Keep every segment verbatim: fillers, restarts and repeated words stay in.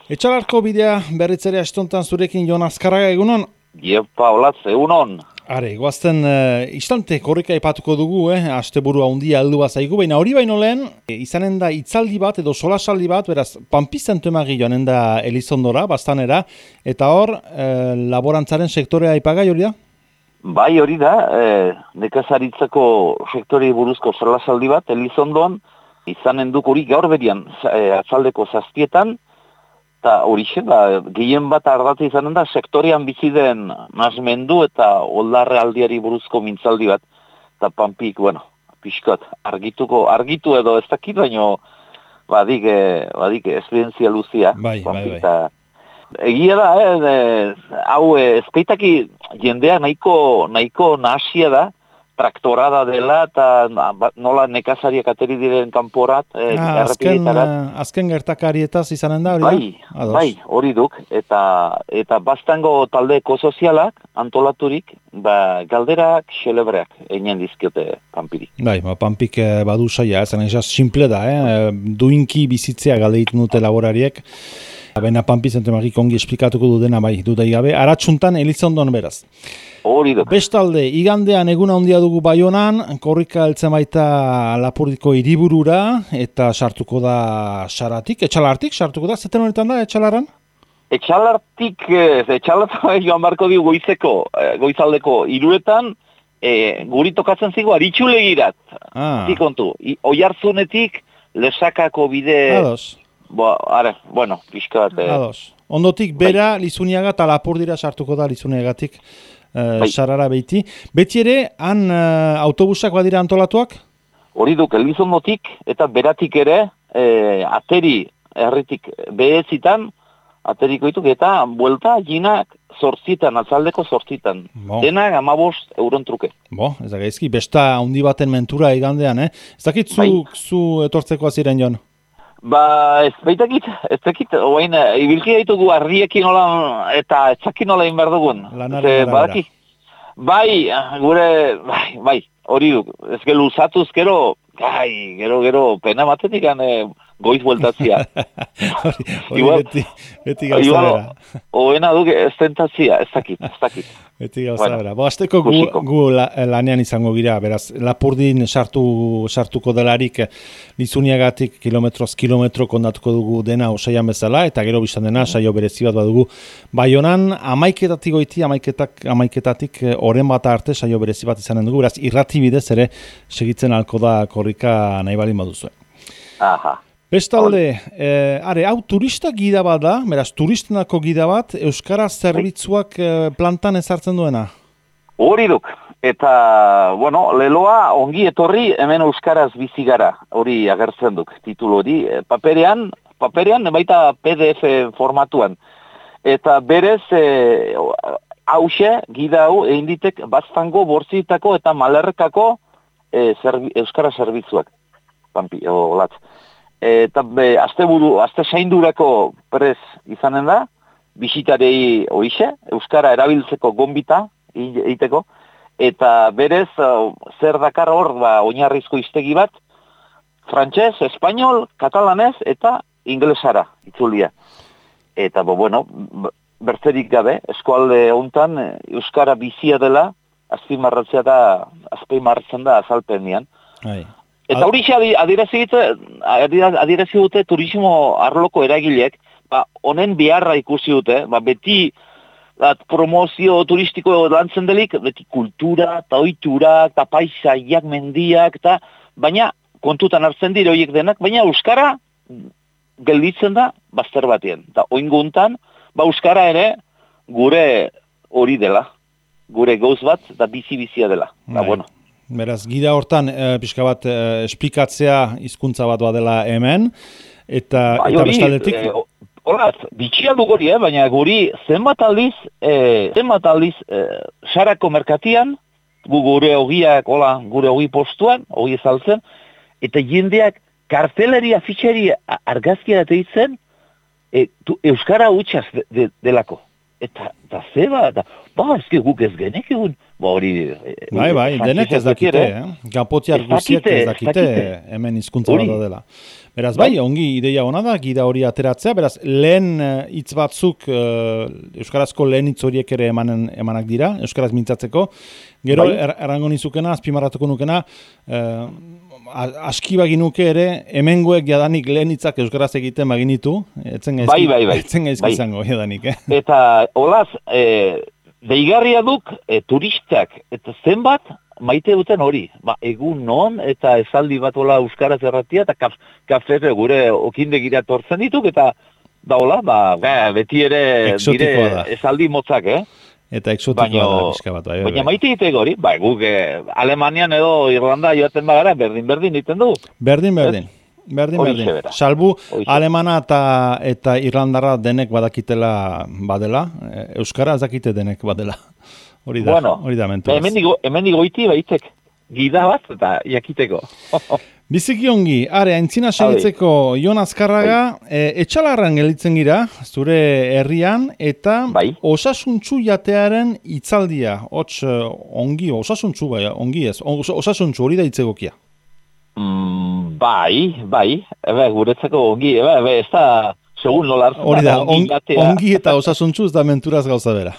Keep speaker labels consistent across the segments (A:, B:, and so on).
A: Etxalarko bidea berritzere astontan zurekin Jon Azkarraga egunon?
B: Iepa, olatz, egunon.
A: Are, goazten uh, istante korrika ipatuko dugu, eh? Asteburua handia heldu bazaigu, baina hori baino lehen, e, izanen da hitzaldi bat edo solasaldi bat, beraz, Panpizten temagi joanen da Elizondora, Bastanera, eta hor, eh, laborantzaren sektorea aipagai hori da?
B: Bai, hori da, eh, nekazaritzako sektorei buruzko solasaldi bat, Elizondon, izanen duk hori gaur berian, eh, atzaldeko zazpietan, eta hori ba, gehien bat ardatu izanen da, sektorean bizi den nasmendu eta oldarre aldiari buruzko mintzaldi bat, eta Panpik, bueno, pixkat, argituko, argitu edo ez dakit, baino, badik, eh, badik, esperientzia luzia.
A: Bai, bai, bai.
B: Ta, egia da, eh, hau, eh, ezpeitaki jendea nahiko, nahiko nahasia da, traktorada dela, eta nola nekazariak ateri diren kanporat, eh,
A: ah, azken, azken gertakarietaz izanen da, hori da?
B: Bai, bai, hori duk, eta eta bastango taldeko sozialak antolaturik, ba, galderak, xelebreak, egin dizkiote Panpiri.
A: Bai, ba, Panpik eh, badu saia, esan esaz, simple da, eh? Duinki bizitzea galdeitu dute laborariek, baina Panpizten temagik ongi esplikatuko du dena, bai, dudai gabe, aratsuntan Elizondon beraz.
B: Hori duk.
A: Bestalde, igandean eguna handia dugu Baionan, korrika heltzen baita Lapurdiko hiriburura eta sartuko da Saratik, Etxalartik, sartuko da, zeten honetan da, Etxalaran?
B: Etxalartik, Etxalartik joan barko digu goizeko, goizaldeko hiruetan, e, guri tokatzen zigo aritxulegirat. Ah. Zikontu, Oiartzunetik Lesakako bide...
A: Ados.
B: Bo, are, bueno, pixka bat...
A: Ados. Ondotik bera, bai. Lizuniaga eta Lapurdira sartuko da Lizuniagatik. Uh, sarara behiti. Beti ere, han uh, autobusak badira antolatuak?
B: Hori duk, Elizondotik eta beratik ere, eh, ateri herritik behetzitan, ateriko dituk, eta buelta ginak zortzitan, atzaldeko zortzitan. Bo. Denak amabost euron truke.
A: Bo, ez da gaizki, besta handi baten mentura igandean, eh? Ez dakit zu, bai. zu etortzeko aziren, Jon?
B: Ba, ez baitakit, ez dakit, oain, ibilki ditugu arriekin nola, eta etzakin nola inbar dugun.
A: Lanaren arabera.
B: Bai, gure, bai, bai, hori duk, ez gero luzatuz, gero, gai, gero, gero, pena matetik gane goiz bueltatzia.
A: Hori beti, beti gauza bera.
B: Oena duk, ez tentazia, ez dakit, ez dakit.
A: Beti gauza bueno, bera. Bo, azteko gu, gu la, lanean izango gira, beraz, Lapurdin sartu, sartuko delarik Lizuniagatik kilometroz kilometro kondatuko dugu dena osaian bezala, eta gero biztan dena, saio berezi bat badugu. Baionan, amaiketatik goiti, amaiketak, amaiketatik oren bat arte saio berezi bat izanen dugu, beraz, irrati bidez ere segitzen alko da korrika nahi balin baduzue.
B: Aha.
A: Bestalde, eh, are, hau turista gida bat da, beraz, turistenako gida bat, Euskara zerbitzuak eh, plantan ezartzen duena?
B: Hori duk, eta, bueno, leloa ongi etorri hemen Euskaraz bizi gara, hori agertzen duk, titulu hori, paperean, paperean, baita P D F formatuan, eta berez, eh, hause, gida hau, egin ditek, Baztango, Borzitako eta Malerrekako eh, zerbi, Euskara zerbitzuak, Panpi, olatz. Eta be, azte buru, azte zaindurako prez izanen da, bisitarei hoixe, Euskara erabiltzeko gonbita egiteko, eta berez, zer dakar hor, ba, oinarrizko hiztegi bat, frantses, espainol, katalanez eta inglesara itzulia. Eta, bo, bueno, bertzerik gabe, eskualde hontan Euskara bizia dela, azpimarratzea da, azpimarratzen da azalpenian.
A: Ai.
B: Eta hori adierazi dute turismo arloko eragileek, ba, honen beharra ikusi dute, ba, beti bat, promozio turistiko lantzen delik, beti kultura, eta ohitura, eta paisaiak, mendiak, eta, baina kontutan hartzen dire horiek denak, baina Euskara gelditzen da bazter batien. Eta oinguntan, ba, Euskara ere gure hori dela, gure gauz bat, eta bizi-bizia dela. Ba, bueno.
A: Beraz, gida hortan, e, pixka bat, e, esplikatzea hizkuntza bat badela hemen, eta, ba, eta bestaldetik...
B: E, Horaz, bitxia du gori, eh, baina guri zenbat aldiz, e, zenbat aldiz, e, sarako merkatian, gu gure hogiak, hola, gure hogi postuan, hogi ezaltzen, eta jendeak karteleri, afitxeri argazkia dateitzen, e, Euskara utxaz de, de, delako. eta, eta zeba, eta, ba, ezke guk ez genek egun, ba, hori...
A: Bai, bai, denek ez dakite, eh? Gapotiar guziek ez dakite hemen hizkuntza bat dela. Beraz, bai, ongi ideia hona da, gida hori ateratzea, beraz, lehen hitz batzuk, uh, euskarazko lehen hitz horiek ere emanen, emanak dira, euskaraz mintzatzeko, gero bai. er, errango nizukena, azpimarratuko nukena, uh, aski baginuke ere, hemengoek jadanik lehen hitzak euskaraz egiten baginitu, etzen gaizki,
B: bai, bai, bai.
A: etzen gaizki
B: bai.
A: izango jadanik, eh?
B: Eta, olaz, e, deigarria duk, e, turistak, eta zenbat, maite duten hori, ba, egun non, eta esaldi bat hola euskaraz erratia, eta kaf, kafe gure okindegira tortzen dituk, eta da hola, ba, beti ere dire esaldi motzak, eh?
A: Eta exotikoa da, pixka bat. Bai,
B: baina maite egiteko hori, bai, guk eh, Alemanian edo Irlanda joaten bagara, berdin-berdin egiten du.
A: Berdin-berdin. Berdin-berdin. Salbu, Oixe. Alemana eta, eta Irlandarra denek badakitela badela, euskara ez dakite denek badela. Hori da, bueno, hori da mentu.
B: Hemen digoiti baitzek, gida bat eta jakiteko.
A: Biziki ongi, are, aintzina segitzeko Jon Azkarraga, e, etxalarran gelitzen gira, zure herrian, eta bai. Osasuntsu jatearen hitzaldia, hots ongi, osasuntsu bai, ongi ez, osasuntsu hori da hitzegokia.
B: Mm, bai, bai, ebe, guretzako ongi, ebe, ebe, ez da, segun nola hartzen.
A: Hori da, ongi, ongi eta osasuntsu ez da menturaz gauza bera.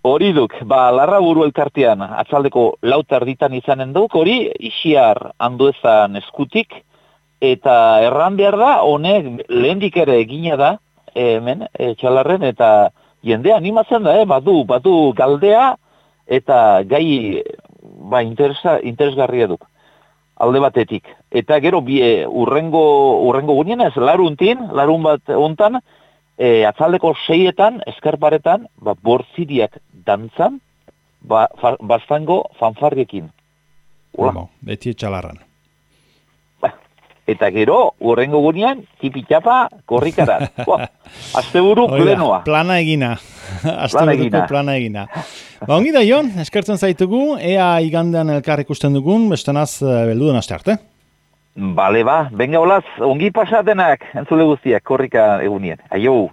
B: Hori duk, ba, larra buru elkartean, atzaldeko lauta erditan izanen duk, hori isiar handuezan eskutik, eta erran behar da, honek lehendik ere egina da, hemen, e, txalarren, eta jende animatzen da, eh, badu, badu galdea, eta gai, ba, interesa, interesgarria duk, alde batetik. Eta gero, bi, e, urrengo, urrengo gunean ez, laruntin, larun bat ontan, E, atzaldeko seietan, eskarparetan, ba, bortziriak dantzan, ba, fa, bastango fanfarriekin.
A: Bueno, beti etxalarran.
B: Ba, eta gero, urrengo gunean, tipitxapa korrikarat. Asteburu plenoa.
A: Plana egina. Asteburuko plana egina. Ba, ongi da, Jon, eskertzen zaitugu, ea igandean elkar ikusten dugun, bestenaz beldu den aste arte.
B: Bale ba, benga olaz, ongi pasatenak, entzule guztiak, korrika egunien. Aio!